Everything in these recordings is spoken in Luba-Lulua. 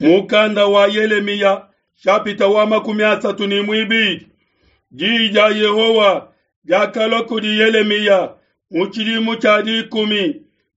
Mukanda wa Yelemiya shapita wa 32. Diyi dia Yehowa diakalua kudi Yelemiya mu tshidimu tshia 10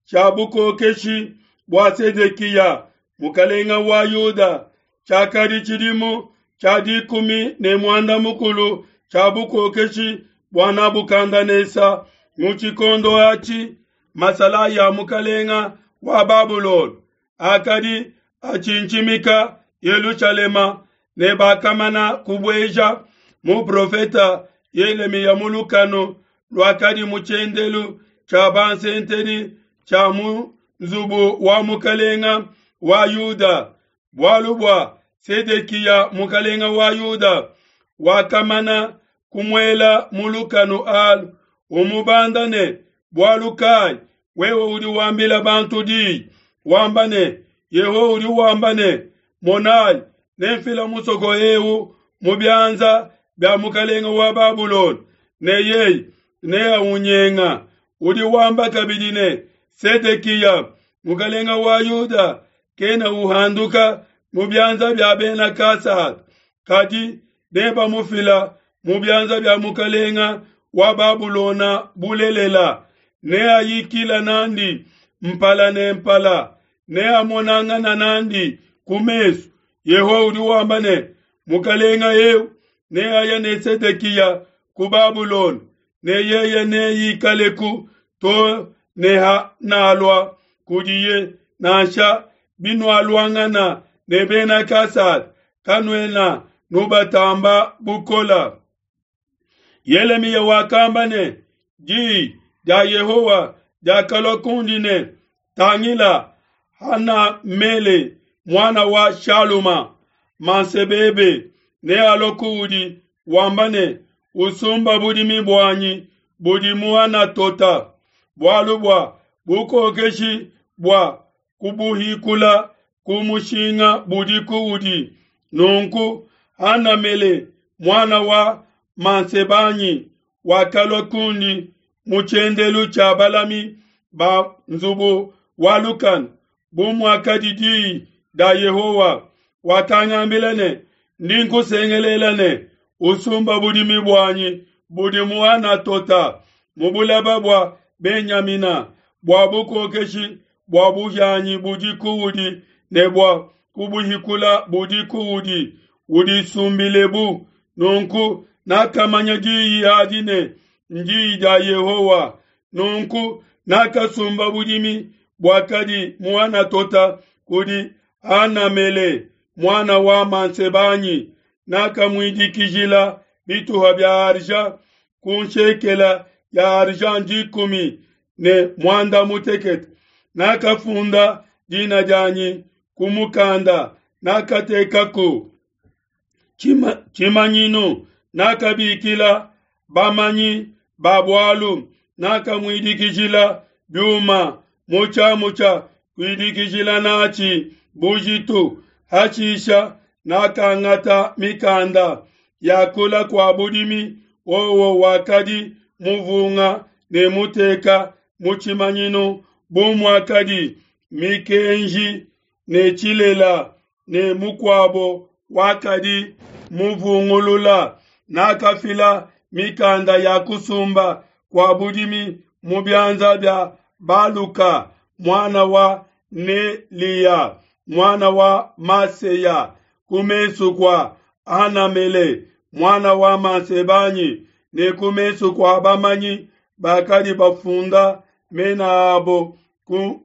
tshia bukokeshi bua Sedekiya mukalenga wa Yuda, tshiakadi tshidimu tshia 16 tshia bukokeshi bua Nabukandanesa. Mu tshikondo atshi masalayi a mukalenga wa Babulona akadi atshintshimika Yelushalema, ne bakamana kubueja muprofeta Yelemiya mu lukanu luakadi mu tshiendelu tshia bansentedi tshia mu nzubu wa mukalenga wa Yuda. Bualu bua Sedekiya mukalenga wa Yuda wakamana kumuela mu lukanu alu, umubanda ne, bualu kai wewe udi wambila bantu diyi, wamba ne, Yehowa udi wamba ne, monayi, nemfila musoko eu mu bianza bia mukalenga wa Babulona, ne yeye neaunyenga. Udi wamba kabidi ne, Sedekiya mukalenga wa Yuda kena uhanduka mu bianza bia bena Kasada, kadi nebamufila mu bianza bia mukalenga wa Babulona bulelela. Neayikila nandi mpala ne mpala, neamonangana nandi ku mesu. Yehowa udi wamba ne, mukalenga eu neaya ne Sedekiya ku Babulona, ne yeye neikaleku to ne hanalua kudiye. Nansha binualuangana ne bena Kasada, kanuena nubatamba bukola. Yelemiya wakamba ne, diyi dia Yehowa diakalua kundi ne, tangila, Hanamele muana wa Shaluma mansebebe nealue kuudi wamba ne, usumba budimi buanyi budi mu Anatota, bualu bua bukokeshi bua kubuhikula ku mushinga budi kuudi. Nunku Hanamele muana wa mansebanyi wakalua kundi mu tshiendelu tshia balami ba nzubu wa lukanu, bu muakadi diyi dia Yehowa. Wakangambila ne, ndi nkusengelela ne, usumba budimi buanyi budi mu Anatota mu bulaba bua Benyamina, bua bukokeshi bua buhianyi budi kuudi ne bua kubuhikula budi kuudi, udisumbilebu. Nunku nakamanya diyi adi ne ndiyi dia Yehowa. Nunku nakasumba budimi buakadi mu Anatota kudi Hanamele muana wa mansebanyi, nakamuidikijila bituha bia argent ku nshekela ya argent 16. Nakafunda dina dianyi ku mukanda, nakatekaku tshimanyinu, nakabikila bamanyi ba bualu, nakamuidikijila biuma mu tshiamu tshia kuidikijila natshi bujitu. Hashisha nakangata mikanda ya kula kua budimi, wowo wakadi muvunga ne muteka mu tshimanyinu bu muakadi mikenji ne tshilela, ne mukuabo wakadi muvungulula. Nakafila mikanda ya kusumba kua budimi mu bianza bia Baluka muana wa Neliya muana wa Maseya ku mesu kua Hanamele muana wa Mansebanyi ne ku mesu kua bamanyi bakadi bafunda mena abo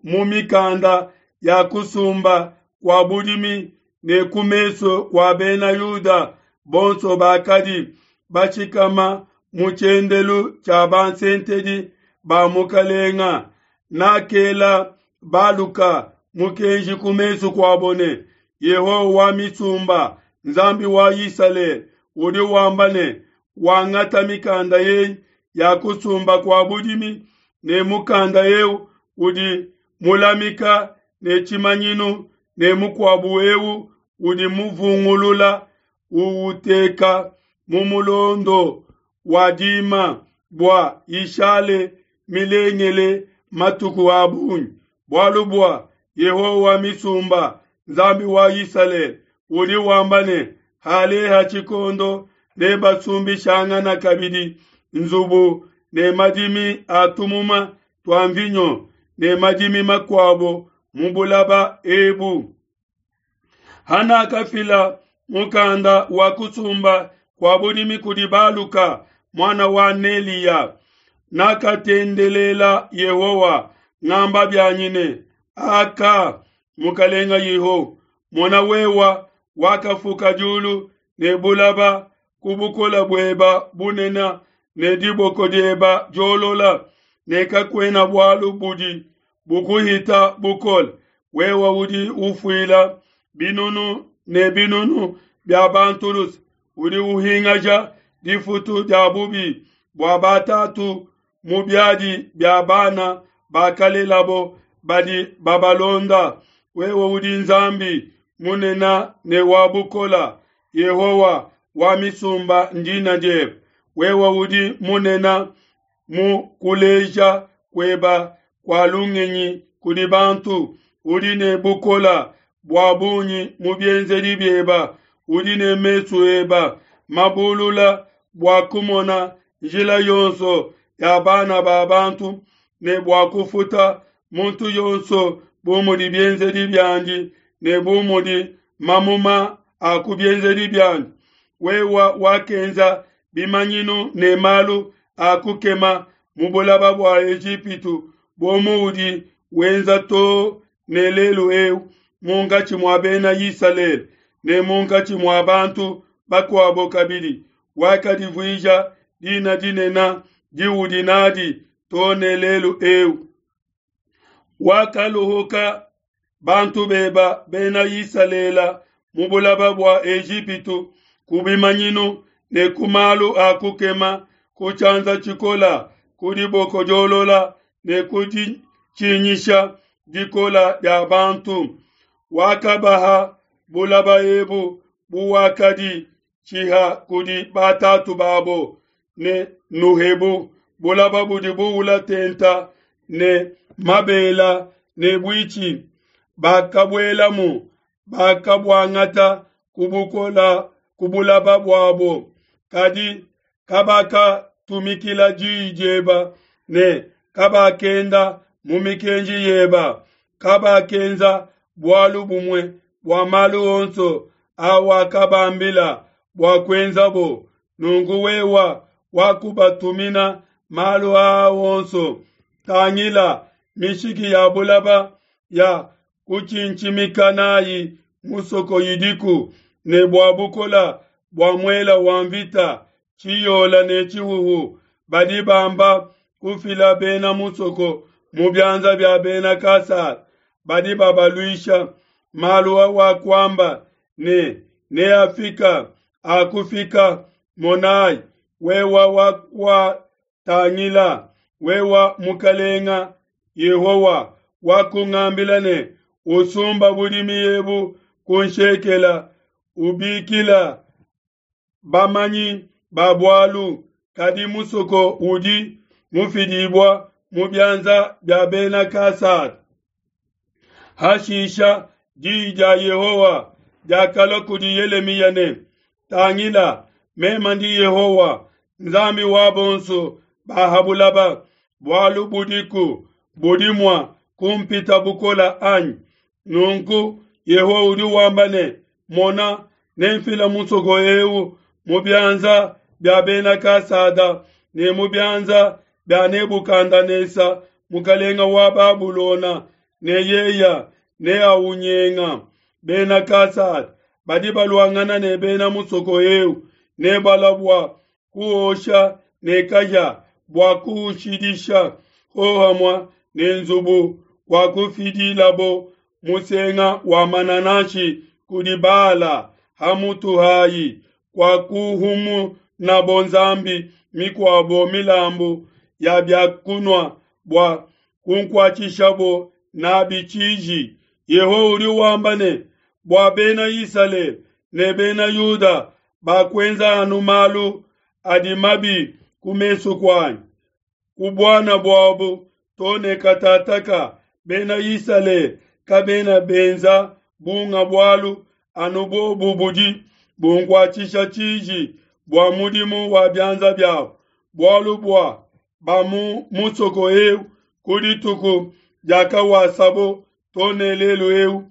mu mikanda ya kusumba kua budimi ne ku mesu kua bena Yuda bonso bakadi bashikama mu tshiendelu tshia bansentedi ba mukalenga. Nakela Baluka mukenji ku mesu kuabo ne, Yehowa wa misumba, Nzambi wa Isalele, udi wamba ne, wangata mikanda eyi ya kusumba kua budimi ne mukanda eu udi mulamika ne tshimanyinu ne mukuabu eu udi muvungulula uwuteka mu mulondo wa dima bua ishale milengele matuku a bungi. Bualu bua Yehowa wa misumba, Nzambi wa Isalele, udi wamba ne, Haleha tshikondo nebasumbishangana kabidi nzubu ne madimi a tumuma tua mvinyo ne madimi makuabo mu bulaba ebu. Hanakafila mukanda wa kusumba kua budimi kudi Baluka muana wa Neliya, nakatendelela Yehowa ngamba bianyi ne, Aka, Mukalenga Yehowa, mona wewa wakafuka diulu ne bulaba ku bukola bueba bunene ne diboko dieba diolola, ne kakuena bualu budi bukuhita bukole. Wewe udi ufuila binunu ne binunu bia bantu luse, udi uhingaja difutu dia bubi bua batatu mu biadi bia bana bakalelabo badi babalonda. Wewe udi Nzambi munene ne wa bukola, Yehowa wa misumba ndina diebe. Wewe udi munene mu kuleja kueba kua lungenyi kudi bantu, udi ne bukola bua bungi mu bienzedi bieba, udi ne mesu eba mabulula bua kumona njila yonso ya bana ba bantu, ne bua kufuta muntu yonso bu mudi bienzedi biandi ne bu mudi mamuma a ku bienzedi biandi. Wewe wakenza bimanyinu ne malu a kukema mu bulaba bua Ejipitu, bu muudi wenza too ne lelu eu munkatshi mua bena Isalele ne munkatshi mua bantu bakuabo kabidi. Wakadivuija dina dinene diudi nadi too ne lelu eu. Wakaluhuka bantu beba bena Isalele mu bulaba bua Ejipitu ku bimanyinu ne ku malu a kukema, ku tshianza tshikola, ku diboko diolola ne ku ditshinyisha dikola dia bantu. Wakabaha bulaba ebu buwakadi tshiha kudi batatu babo, ne nuhebu bulaba budi buula tenta ne mabela ne buitshi. Bakabuelamu, bakabuangata ku bukola ku bulaba buabo, kadi kabakatumikila diyi dieba ne kabakenda mu mikenji yeba. Kabakenza bualu bumue bua malu onso awakabambila bua kuenzabo. Nunku wewa wakubatumina malu aa onso. Tangila mishiki ya bulaba ya kutshintshimika nayi musoko idiku, ne bua bukola bua muela wa mvita, tshiyola ne tshihuhu, badi bamba kufila bena musoko mu bianza bia bena Kasada badi babaluisha. Malu awakuamba ne neafika akufika. Monai, wewa wakuatangila, wewa Mukalenga Yehowa wakungambila ne, usumba budimi ebu ku nshekela, ubikila bamanyi ba bualu, kadi musoko udi mufidibua mu bianza bia bena Kasada. Hashisha diyi dia Yehowa diakalua kudi Yelemiya ne, Tangila, meme ndi Yehowa, Nzambi wa bonso ba ha bulaba, bualu budiku budi mua kumpita bukola anyi? Nunku Yehowa udi wamba ne, Mona, nemfila musoko eu mu bianza bia bena Kasada ne mu bianza bia Nebukadanesa mukalenga wa Babulona, ne yeya neaunyenga. Bena Kasada badi baluangana ne bena musoko eu nebalua bua kuosha ne kahia bua kuushidisha hohamua ne nzubu wa kufidilabo musenga wa manananshi kudi Bala ha mutu hayi, kwa kuhumunabo nzambi mikuabo milambu ya bia kunua bua kunkuatshishabo nabi tshiji. Yehowa udi wamba ne, bua bena Isalele ne bena Yuda bakuenza anu malu adi mabi ku mesu kuanyi. Ku buana buabu to ne katataka bena Isalele kabena benza bunga bualu anu bobu budi bunkuatshisha tshiji bua mudimu wa bianza biabu, bualu bua ba mu musoko eu ku dituku diakawasabo to ne lelu eu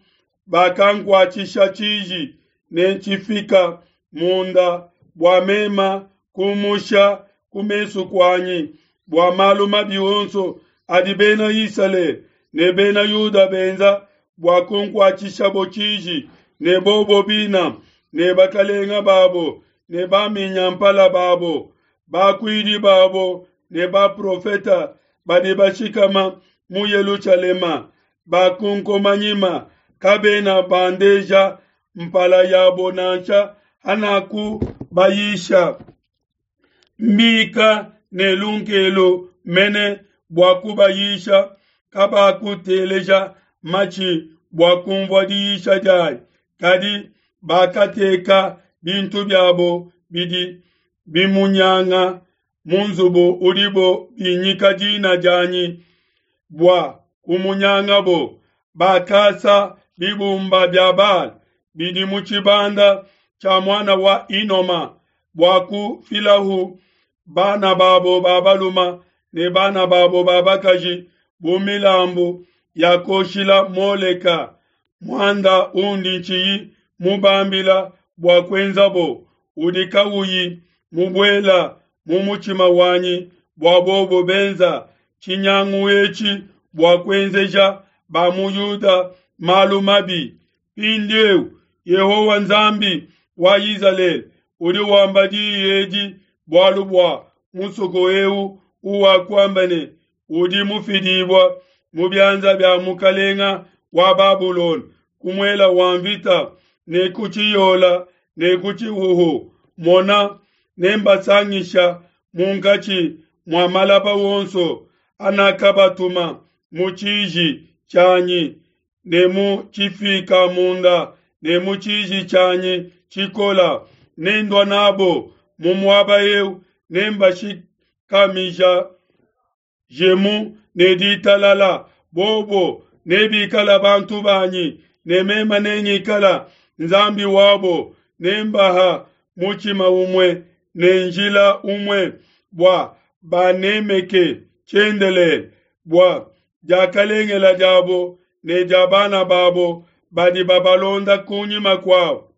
bakankuatshisha tshiji ne tshifika munda bua mema kumusha ku mesu kuanyi bua malu mabi onso adi bena Isalele ne bena Yuda benza bua kunkuatshishabo tshiji, ne bobo bina ne bakalenga babo ne baminyampala babo, bakuidi babo ne baprofeta badi bashikama mu Yelushalema bakunkomanyima, kabena bandeja mpala yabo nansha hanakubayisha. Mbika ne lunkelu mene bua kubayisha, kabakuteleja matshi bua kumvua diyisha dianyi, kadi bakateka bintu biabo bidi bimunyanga mu nzubu udibo binyika dina dianyi bua kumunyangabo. Bakasa bibumba bia Baal bidi mu tshibanda tshia muana wa Hinoma bua kufilahu bana babo ba baluma ne bana babo ba bakaji bu milambu ya kuoshila Moleka, muanda undi ntshiyi mubambila bua kuenzabo, udi kawuyi mubuela mu mutshima wanyi bua bobo benza tshinyangu etshi bua kuenzeja ba mu Yuda malu mabi. Mpindieu Yehowa Nzambi wa Izalele udi wamba diyi edi bualu bua musoko eu uwakuamba ne, udi mufidibua mu bianza bia mukalenga wa Babulona ku muela wa mvita ne ku tshiyola ne ku tshihuhu. Mona, nembasangisha munkatshi mua malaba wonso anakabatuma mu tshiji tshianyi ne mu tshifika munda ne mu tshiji tshianyi tshikola, nendua nabo mu muaba eu, nembashikamija jemu ne ditalala. Bobo nebikala bantu banyi, ne mema nengikala Nzambi wabo, nembaha mutshima umue ne njila umue bua banemeke tshiendelele, bua diakalengela diabo ne dia bana babo badi babalonda kunyima kuabo.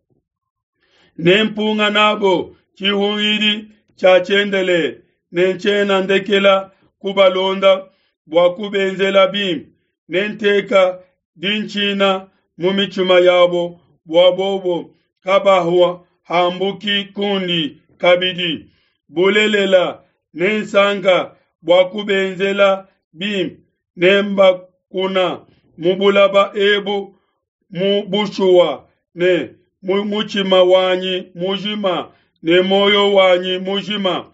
Nempunga nabo tshihungidi tshia tshiendelele, ne ntshiena ndekela kubalonda bua kubenzela bimpe. Nenteka dintshina mu mitshima yabo bua bobo kabahua hambuki kundi kabidi. Bulelela, nensanka bua kubenzela bimpe, nembakuna mu bulaba ebu mu bushuwa ne mu mutshima wanyi mujima ne muoyo wanyi mujima.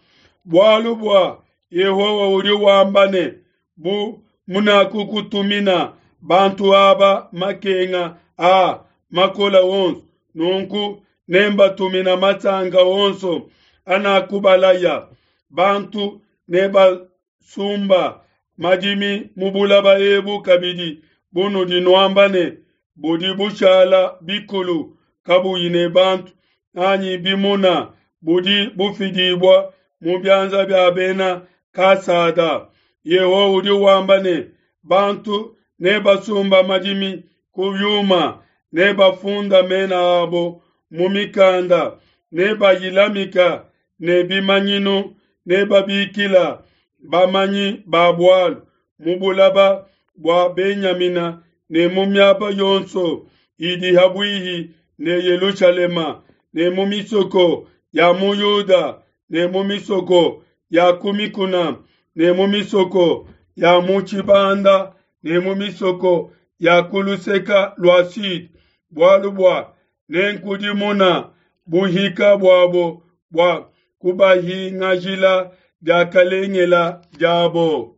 Bualu bua Yehowa udi wamba ne, bu munakukutumina bantu aba makenga a makola onso, nunku nembatumina masanka onso anakubalaya. Bantu nebasumba madimi mu bulaba ebu kabidi, bunudi nuamba ne, budi bushala bikulu kabuyi ne bantu anyi bimuna, budi bufidibua mu bianza bia bena Kasada. Yehowa udi wamba ne, bantu nebasumba madimi ku vyuma, nebafunda mena abo mu mikanda, nebayilamika ne bimanyinu, nebabikila bamanyi ba bualu mu bulaba bua Benyamina ne mu miaba yonso idi habuihi ne Yelushalema, ne mu misoko ya mu Yuda, ne mu misoko ya ku mikuna, ne mu misoko ya mu tshibanda, ne mu misoko ya ku luseka lua sud, bualu bua nenkudimuna buhika buabo bua kubahingajila diakalengela diabo.